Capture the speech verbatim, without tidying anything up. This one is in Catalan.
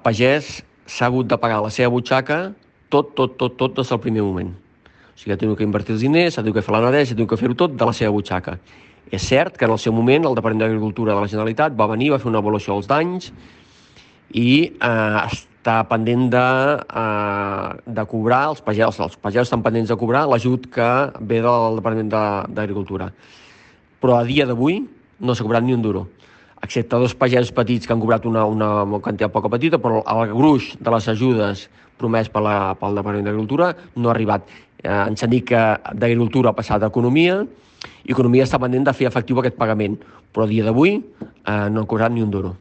pagès s'ha hagut de pagar la seva butxaca tot, tot, tot, tot des del primer moment. O sigui, ha tingut que invertir els diners, ha tingut que fer la neteja, ha tingut que fer-ho tot de la seva butxaca. És cert que en el seu moment el Departament d'Agricultura de la Generalitat va venir, va fer una avaluació dels danys i eh, està pendent de, eh, de cobrar, els pagesos, els pagesos estan pendents de cobrar l'ajut que ve del Departament d'Agricultura. Però a dia d'avui no s'ha cobrat ni un duro, excepte dos pagesos petits que han cobrat una, una quantitat poca petita, però el gruix de les ajudes promès per la, pel Departament d'Agricultura no ha arribat. Eh, ens han dit que d'Agricultura ha passat a Economia i Economia està pendent de fer efectiu aquest pagament, però a dia d'avui eh, no han cobrat ni un duro.